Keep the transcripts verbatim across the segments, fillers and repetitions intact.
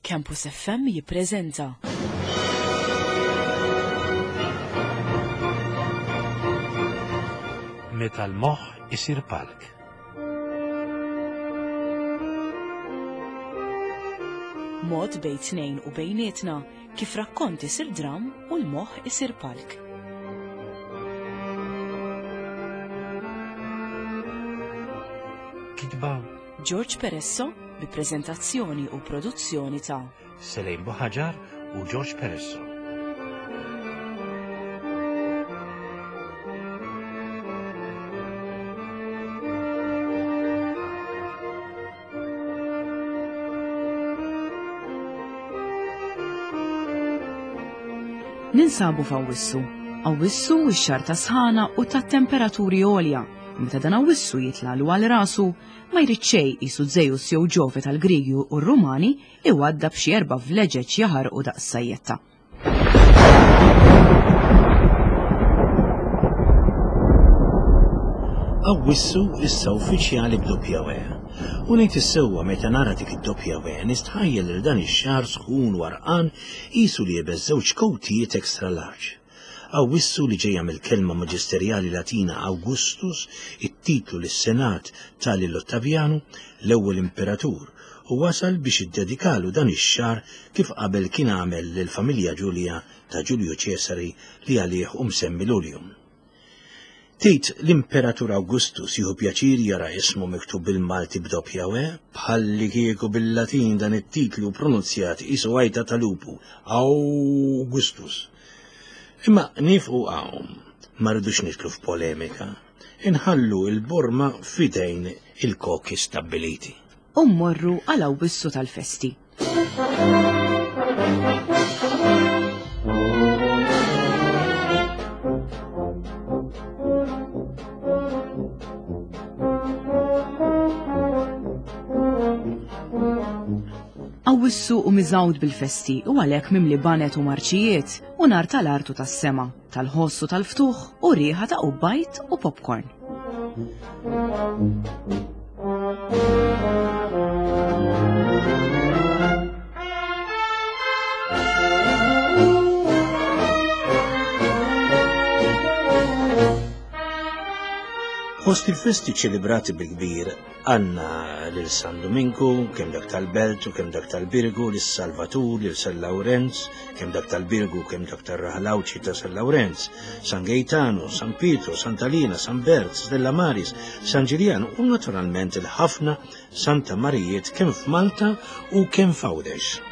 Campus F M jippreżenta Meta l-moħħ isir palk. Mod bejn tnejn u bejnietna kif rakkont isir dram u l-moħħ isir palk. Kitba George Peresso bi preżentazzjoni u produzzjoni ta' Selejn Buħaġar u George Peresso. Ninsabu f'Awwissu. Awwissu ix-xahar ta' sħana u ta' temperaturi għolja. U meta dan Awwissu jitlalu għal rasu, ma jrid xejn qisu Zeus jew Ġove tal-Grigi u r-Rumani iwadda b'xi erba' vleġeġ jaħarqu daqs sajjetta. Awwissu issa uffiċjali b'doppja W. U ngħid is-sewwa, meta nara dik id-doppja W nistħajjel lil dan ix-xahar sħun warqan qisu liebes żewġ kowtijiet extra large. Awwissu, li ġejja mill-kelma maġisterjali Latina Augustus, it-titlu lis-Senat ta lil Ottavjanu, l-ewwel imperatur, u wasal biex iddedikalu dan ix-xahar kif qabel kien għamel lill-familja Ġulja ta' Ġulju Ċesari li għalih hu msemmi Lulju. Tgħid l-Imperatur Augustus jieħu pjaċir jara ismu miktub bil-Malti b'doppja W, bħalli kieku bil-Latin dan it-titlu pronunzjat qisu għajta ta' lupu, Augustus? Imma nieqfu hawn, ma rridux nidħlu f'polemika. Inħallu il-borma f'idejn il-koki stabbiliti. U mmorru għal Awwissu tal-festi. Awwissu hu miżgħud bil-festi u għalhekk mimli baned u marċijiet u nar tal-artu tas-sema, tal-ħoss u tal-ftuħ u riħa ta' qubbajt u popcorn. Fost il-festi ċelebrati bil-kbir għandna lil San Dominku, kemm dak tal-Belt u kemm dak tal-Birgu, lil Salvatur, lil San Lawrenz, kemm dak tal-Birgu, kemm dak tar-Raħal Għawdxi ta' San Lawrenz, San Gaetano, San Pietro, Santa Lina, San Bert, Stella Maris, San Ġiljan u naturalment il-ħafna Santa Marijiet kemm f'Malta u kemm f'Għawdex.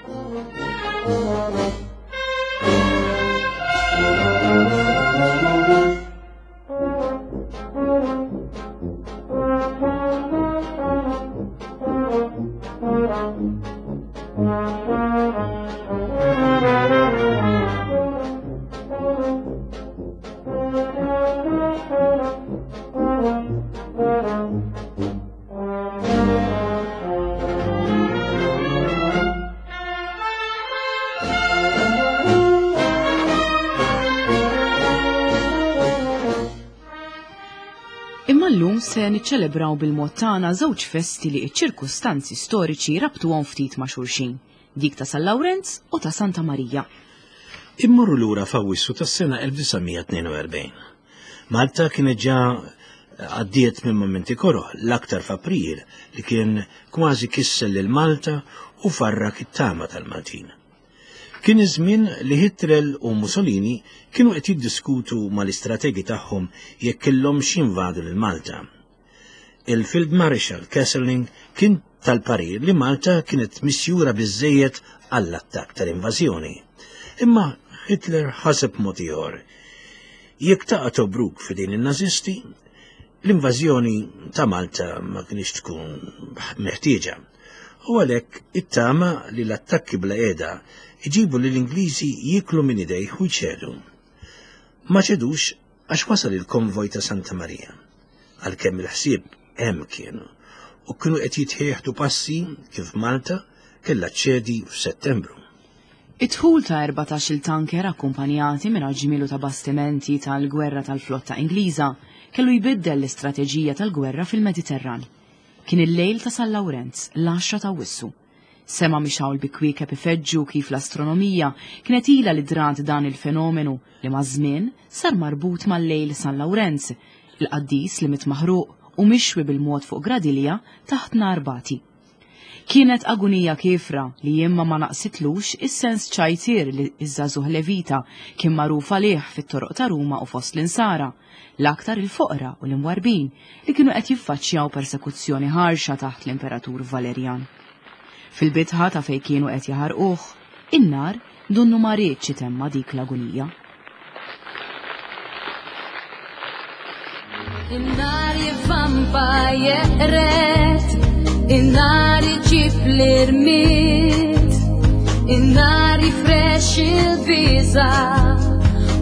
Imma llum se niċċelebraw bil-mod tagħna żewġ festi li ċ-ċirkustanzi storiċi rabtuhom ftit ma' xulxin, dik ta' San Lawrenz u ta' Santa Marija. Immorru lura f'Awwissu tas-sena elf disa' mija tnejn u erbgħin. Malta kienet ġa għaddiet minn momenti koroh, l-aktar f'April, li kien kważi kisser lil Malta u farrak it-tama tal-Maltin. Kien iż-żmien li Hitler u Mussolini kienu qed jiddiskutu mal-istrategi tagħhom jekk kellhomx jinvadu lil Malta. Il-Field Marshal Kesselring kien tal-parir li Malta kienet misjura biżejjed għall-attakk tal-invażjoni. Imma Hitler ħaseb mod ieħor. Jekk taqa' Tobruk f'idejn in-Nazisti, l-invażjoni ta' Malta ma kienx tkun meħtieġa. U għalhekk ittama li l-attakki bla qiegħda iġibu li l-Ingliżi jiklu minn idejh u jċedu. Ma ċedux għax wasal il-konvoj ta' Santa Maria. Għalkemm il-ħsieb hemm kienu u kienu qed jittieħdu passi kif Malta kellha ċedi f'Settembru. Id-dħul ta' erbatax-il tanker akkumpanjati minn ġmielu ta' bastimenti tal-gwerra tal-flotta Ingliża kellu jbiddel l-istrateġija tal-gwerra fil-Mediterran. Kien il-lejl ta' San Lawrenz, l-għaxra ta' Awwissu. Sema mixawl bi kwiekeb ifeġġu kif l-astronomija kienet ilha li drat dan il-fenomenu li maż-żmien sar marbut mal-lejl San Lawrenz, il-qaddis li miet maħruq u mixwi bil-mod fuq gradilja taħt nar bati. Kienet agunija kiefra li imma ma naqsitlux is-sens ċajtir li iż-żagħżugħ Levita kien magħruf għalih fit-toroq ta' Ruma u fost l-insara, l-aktar il-foqra u l-imwarbin li kienu qed jiffaċċjaw persekuzzjoni ħarxa taħt l-Imperatur Valerjan. Fil-bitħa ta' fejn kienu qed jaħarquh, in-nar donnu ma riedx itemma dik l-agunija. In-nar jivvampa jeqret, in-nar iġib l-irmied, in-nar jifrex il-biża'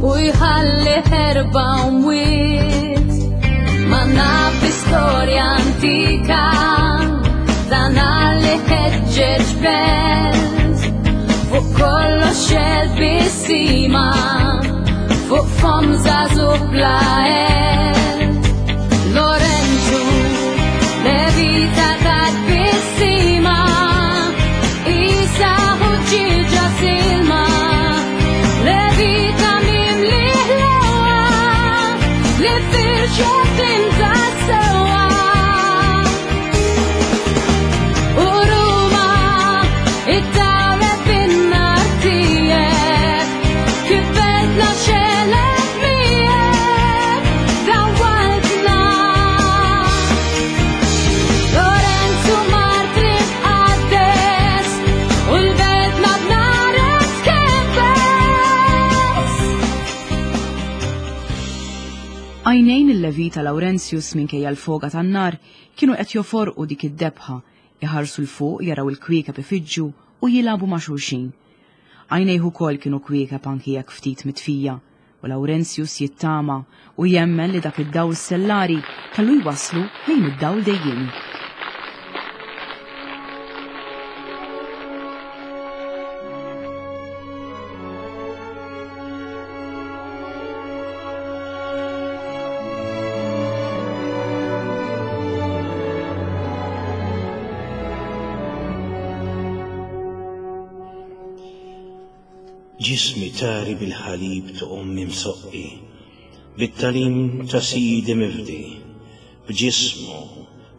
u jħalli ħerba u mwiet. Ma naf bi storja antika dan li ħeġġeġ belt, fuq kollox il-bissima, fuq fomm żagħżugħ bla għelt. Lorenzu, Levita tat-tbissima, isa ħuġġieġa silma, Levita mimli ħlewa, li firxet inta sewwa. U Ruma, iddawlet bin-nar tiegħek, kif beltna xelet miegħek, dawwaltna. Lorenzu martri tqaddes, u l-beltna b'narek tkebbes. Għajnejn il-Levita Laurentius minkejja l-foga tan-nar kienu qed joforqu dik id-debħa, iħarsu 'l fuq jaraw il-kwiekeb ifiġġu u jilagħbu ma' xulxin. Għajnejh ukoll kienu kwiekeb anki jekk ftit mitfija, u Laurentius jittama u jemmen li dak id-dawl stellari kellu jwasslu lejn id-dawl dejjiemi. Ġismi tari bil-ħalib ta' ommi msoqqi, bit-talim ta' sidi mifdi, b'ġismu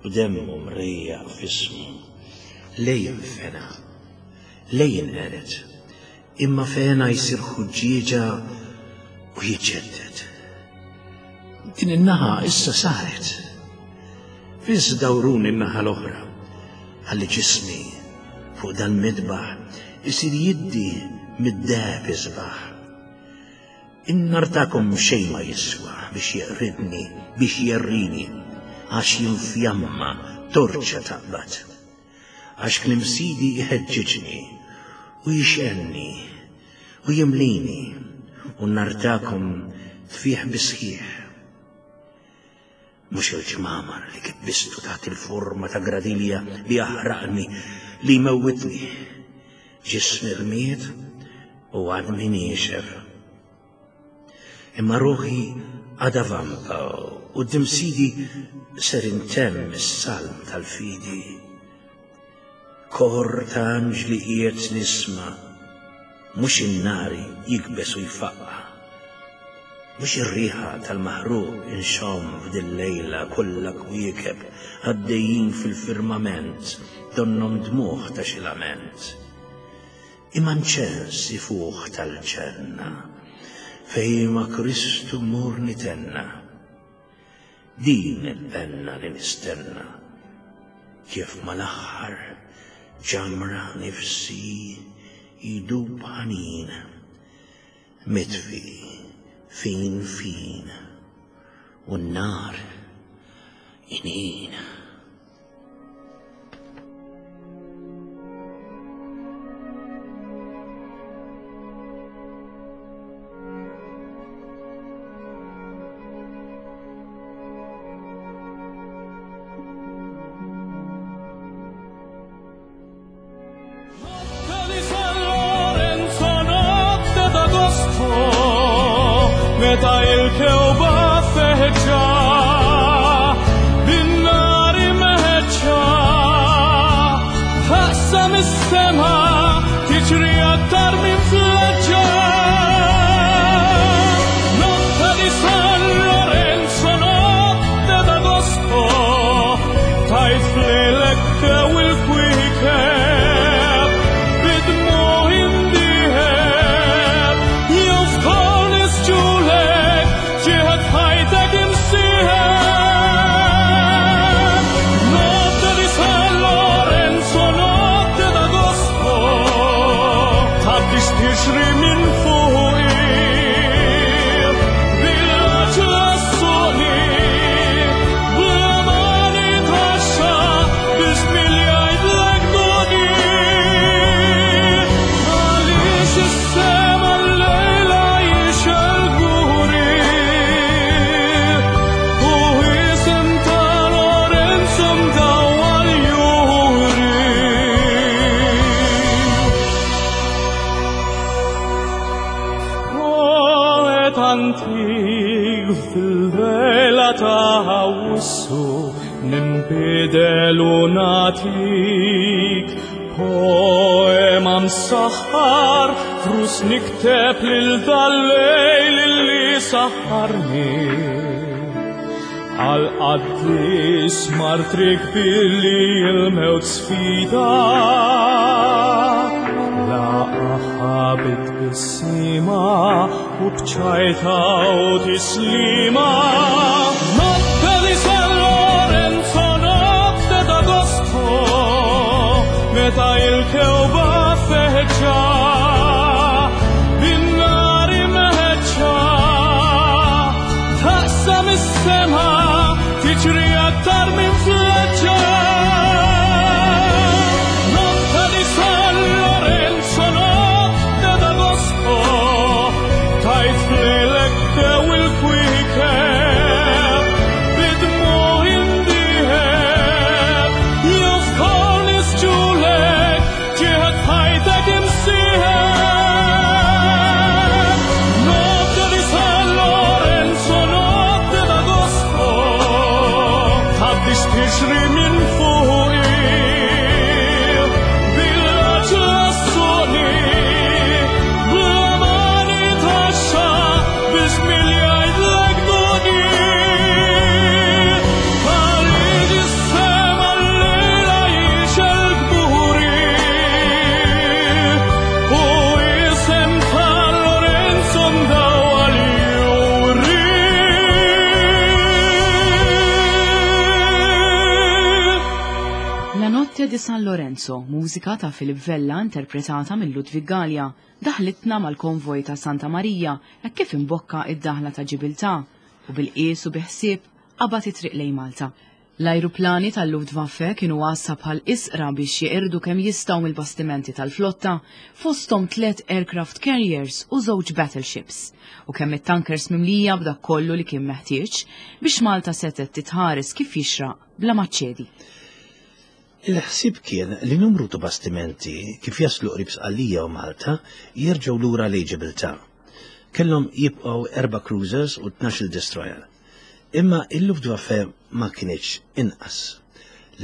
b'demmu mrejjaq f'ismu. Lejn fena, lejn qeret, imma fena jsir ħuġġieġa u jiġġedded. Din in-naħa issa saret. Fiss dawruni n-naħa l-oħra, ħalli ġismi fuq dal-midbaħ isir jiddi mid-deheb isbaħ. In-nar tagħkom xejn ma jiswa biex jeqridni, biex jerrini, għax jinfjamma torċa taqbad. Għax kliem sidi jħeġġeġni u jixgħelni u jimlini, u n-nar tagħkom tfih bisħieħ. Mhux il-ġmamar li kibbistu taħt il-forma ta' gradilja li jaħraqni, li jmewwitni. Ġismi rmied u għadmi niexef. Imma ruħi għadha vampa u quddiem sidi ser intemm is-salm tal-fidi. Kor ta' anġli qiegħed nisma', mhux in-nari jikbes u jfaqqa', mhux ir-riħa tal-maħruq inxomm f'dil-lejla kollha kwiekeb għaddejjin fil-firmament donnhom dmugħ ta' xi lament. Imma nċens ifuħ tal-ġenna, fejn ma' Kristu mmur nitenna. Din il-penna li nistenna, kif mal-aħħar ġamra nifsi jdub ħanin, mitfi fin fin, u n-nar inin. Notte di San Lorenzo, notte d'agosto, meta il-kewba feġġa, bin-nar imħeġġa, taqsam is-sema. Tgħaddix tixri minn fuqi bil-għaġla ssuqni bla ma nitgħaxxa biex milli jgħidlek duqni. Għaliex is-sema llejla jixgħel kburi u isem ta' Lorenzo mdawwal juri. Poet antik fil-lejla ta' Awwissu ninbidel u nagħtik poema msaħħar frus nikteb lil dal-lejl li saħħarni għal qaddis martri kbir li l-mewt sfida laqaha bit-tbissima u b'ċajta u tislima. Notte di San Lorenzo, notte d'agosto, meta il-kewba feġġa, bin-nar imħeġġa, taqsam is-sema, tiġri aktar minn fleġġa. Notte di San Lorenzo, notte d'agosto, tajt f'lejlek dew il-kwiekeb, bidmuħ indieħeb, jew f'kornis ġulek, ġieħed ħajtek imsieħeb. Notte di San Lorenzo, notte d'agosto, tgħaddix tixri minn fuqi bil-għaġla ssuqni bla ma nitgħaxxa biex milli jgħidlek duqni. Għaliex is-sema llejla jixgħel kburi u isem ta' Lorenzo mdawwal juri. La Notte di San Lorenzo, mużika ta' Philip Vella interpretata minn Ludwig Gallia, daħlitna mal-konvoj ta' Santa Marija hekk kif imbokka id-daħla ta' Ġibiltà u bil-qies u biħsieb qabad it-triq lejn Malta. L-ajruplani tal-Luftwaffe kienu għassa bħal isqra biex jeqirdu kemm jistgħu mill-bastimenti tal-flotta fosthom tliet aircraft carriers u żewġ battleships u kemm it-tankers mimlija b'dak kollu li kien meħtieġ biex Malta setgħet titħares kif jixraq bla ma ċċedi. Il-ħsieb kien li numru ta' bastimenti kif jaslu qrib Sqallija u Malta jerġgħu lura lejn Ġibiltà. Kellhom jibqgħu erba' cruisers u tnax-il destroyer. Imma il-Luftwaffe ma kienx inqas.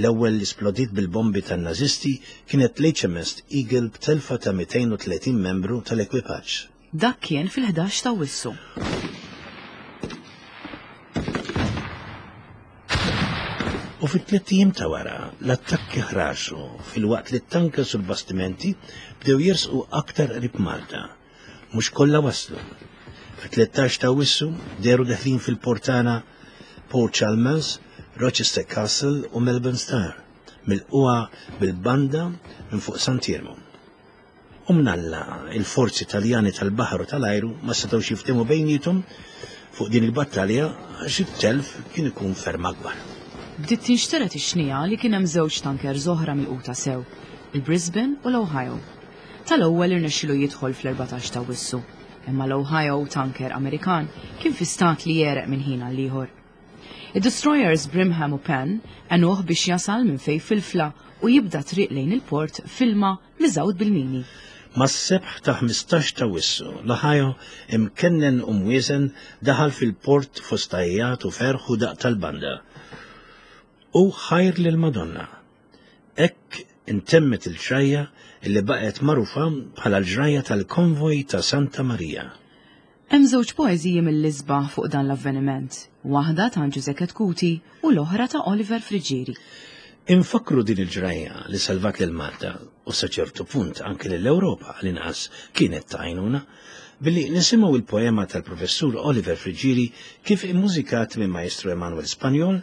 L-ewwel li splodiet bil-bombi tan-Nazisti kienet l-H M S Eagle b'telfa ta' mitejn u tletin membru tal-ekwipaġġ. Dak kien fil-ħdax ta' Awwissu. U fit-tliet ijiem ta' wara, l-attakki ħraxu filwaqt li t-tankers u l-bastimenti bdew jersqu aktar qrib Malta. Mhux kollha waslu. Fit-tlettax ta' Awwissu dehru deħlin fil-port tagħna Port Chalmers, Rochester Castle u Melbourne Star, milqugħa bil-banda minn fuq Sant'Iermu. U mnalla il-forzi Taljani tal-baħar u tal-ajru ma setgħux jiftehmu bejniethom fuq din il-battalja għax it-telf kien ikun ferm akbar. Bdiet tinxteret ix-xnija li kien hemm żewġ tankers oħra milquta sew, il-Brisbane u l-Ohio. Tal-ewwel irnexxielu jidħol fl-erbatax ta' Awwissu, imma l-Ohio tanker Amerikan kien fi stat li jereq minn ħin għal ieħor. Id-destroyers Brimham u Penn għenuh biex jasal minn fejn filfla u jibda triq lejn il-port f'ilma miżgħud bil-mini. Mas-sebħ ta' ħmistax ta' Awwissu, l-Ohio imkennen u mwieżen daħal fil-port fost għajjat u ferħ u daq tal-banda. U ħajr lil Madonna. Hekk intemmet il-ġrajja illi baqgħet magħrufa bħala l-ġrajja tal-konvoj ta' Santa Maria. Hemm żewġ poeżiji mill-isbaħ fuq dan l-avveniment, waħda ta' Ġużè Chetcuti u l-oħra ta' Oliver Friggieri. Infakru din il-ġrajja li salvat lil Malta u sa ċertu punt anke lill-Ewropa l-inqas kienet ta' għajnuna billi nisimgħu il-poema tal-professur Oliver Friggieri kif immużikat minn Maestro Emanuel Spagnol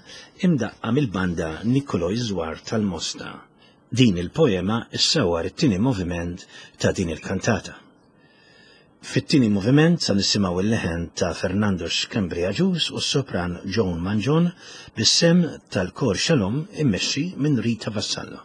imdaqqa mill-banda Nicolò Zwar tal-Mosta. Din il-poema issawar it-tieni moviment ta' din il-kantata. Fit-tieni moviment sa nisimgħu il-leħen ta' Fernando Schembri Agius u s-sopran Joan Mangion bis-sem tal-Kor Shalom immexxi minn Rita Vassallo.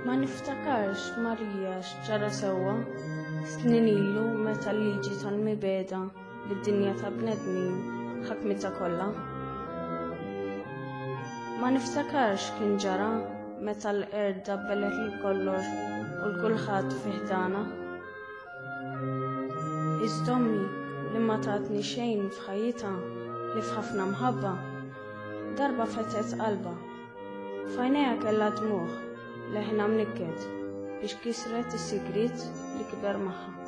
Ma niftakarx Marija x'ġara sewwa snin ilu meta l-liġi tal-mibegħda lid-dinja ta' bnedmin ħakmitha kollha. Ma niftakarx kien ġara meta l-qerda belet lil kollox u l-kulħadd fi ħdana. Iżda ommi li ma tatni xejn f'ħajjitha li f'ħafna mħabba, darba fetħet qalbha. F'għajnejha kellha dmugħ, leħna mnikket biex kisret is-sigriet li kiber magħha.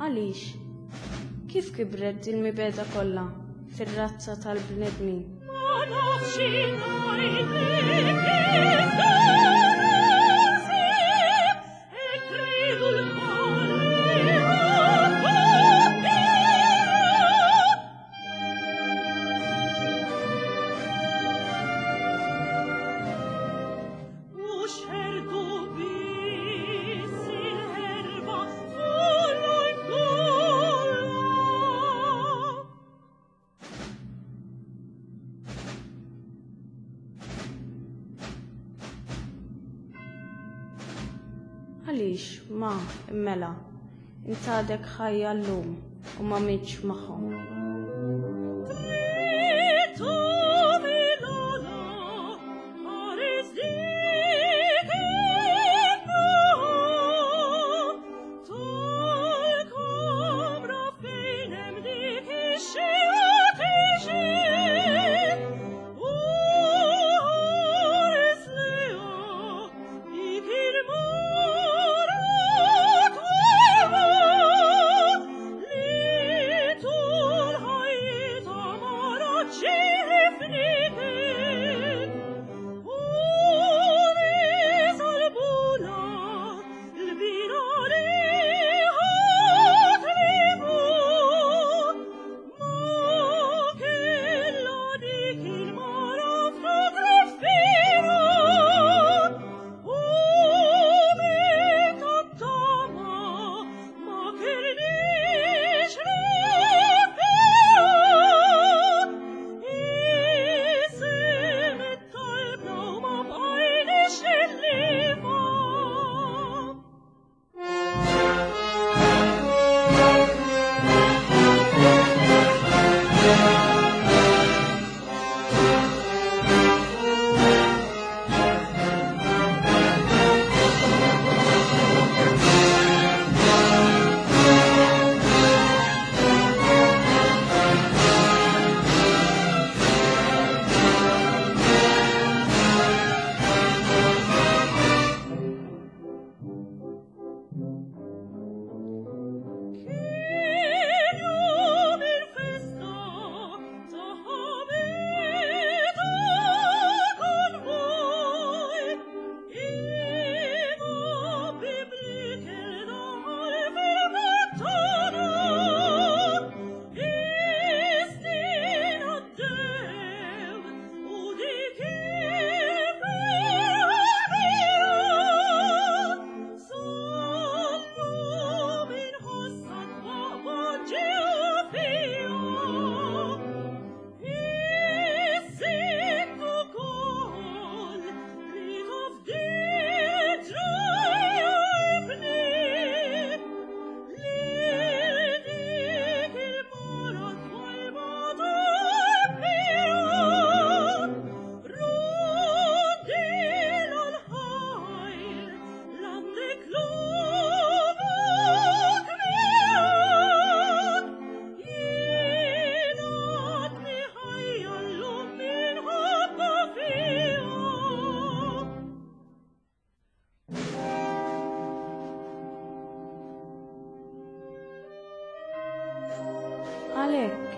Għaliex? Kif kibret din mibegħda kollha fir-razza tal-bnedmin? Ma nafx ngħidlek kif e credo l-male. U xerdu biss il-ħerba Għaliex ma immela int għadek ħajja llum u ma mitx magħhom. Oh.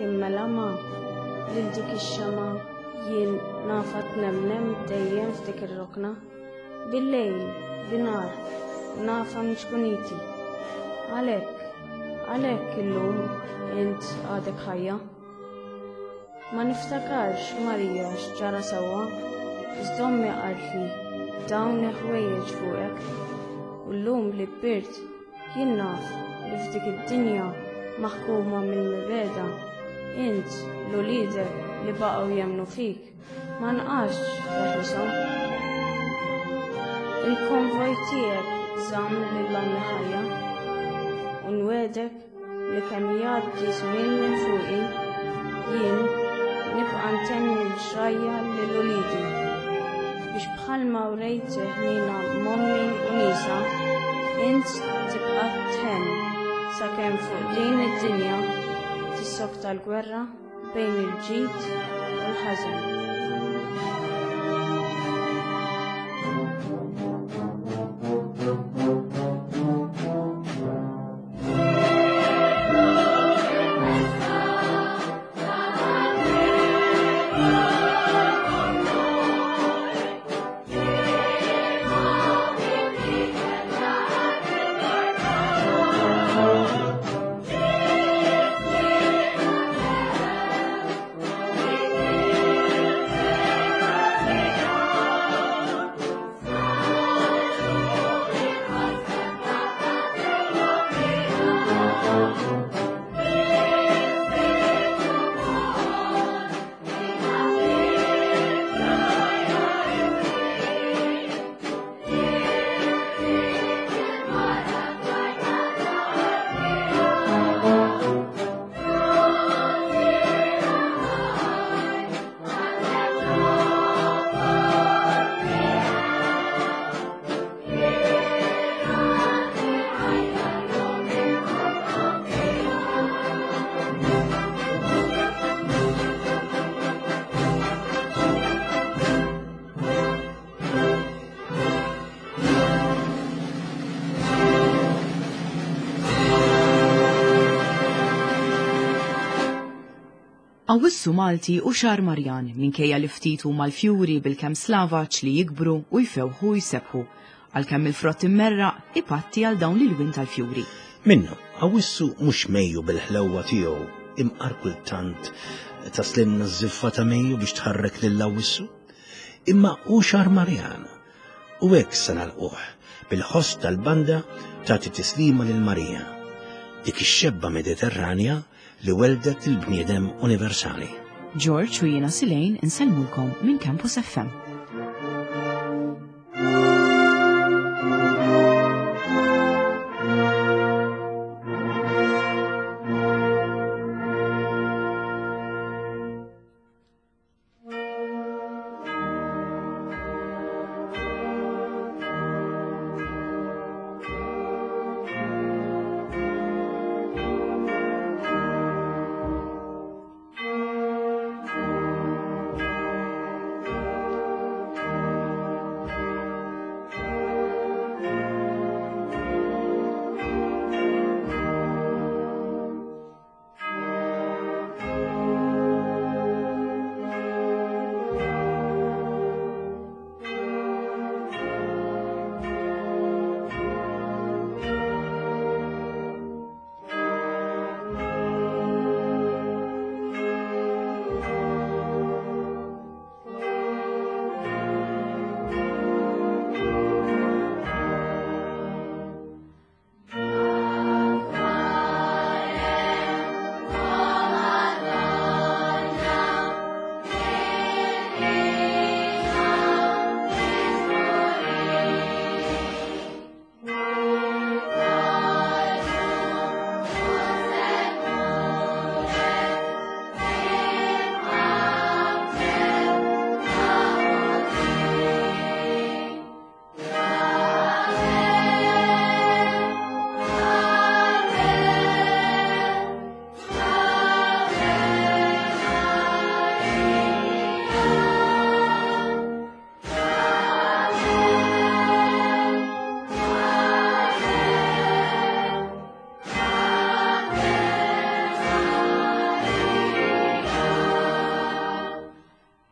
Immela ma lil dik ix-xema jien nafa tnemnem dejjem f'dik ir-rokna. Bil-lejl, binhar, nafa mċkuniti. Għalhekk, għalhekk illum int għadek ħajja. Ma niftakarx Marija x'ġara sewwa, iżda ommi qaltli dawn il-ħwejjeġ fuqek. U llum li kbirt jien naf li f'dik id-dinja maħkuma mill-mibegħda, int l-uliedek li baqgħu jemmnu fik, ma nqax teħlishom. Il-konvoj tiegħek żamm lil ommi ħajja u nwegħdek li kemm jgħaddi żmien minn fuqi, jien nibqa' ntenni l-ġrajja lil uliedi biex bħalma wrejt ħnina m'ommi u nisa, int tibqa' tħenn sakemm fuq din id-dinja tissokta l-gwerra bejn il-ġid u l-ħażen. Awwissu Malti u xahar Marjan minkejja li ftit huma l-fjuri bil-kemm slavaċ li jikbru u jfewħu jsebħu, għalkemm il-frott immerraq ipatti għal dawn l-ilwien tal-fjuri. Minnu, Awwissu mhux Mejju bil-ħlewwa tiegħu, imqar kultant taslimna ż-żiffa ta' Mejju biex tħarrek lil Awwissu. Imma hu xahar Marjan u hekk se nagħlquh bil-ħoss tal-banda tagħti tislima lil Marija, dik ix-xebba Mediterranja li weldet il-bniedem universali. George u jiena Silejn insellmulkom minn Campus F M.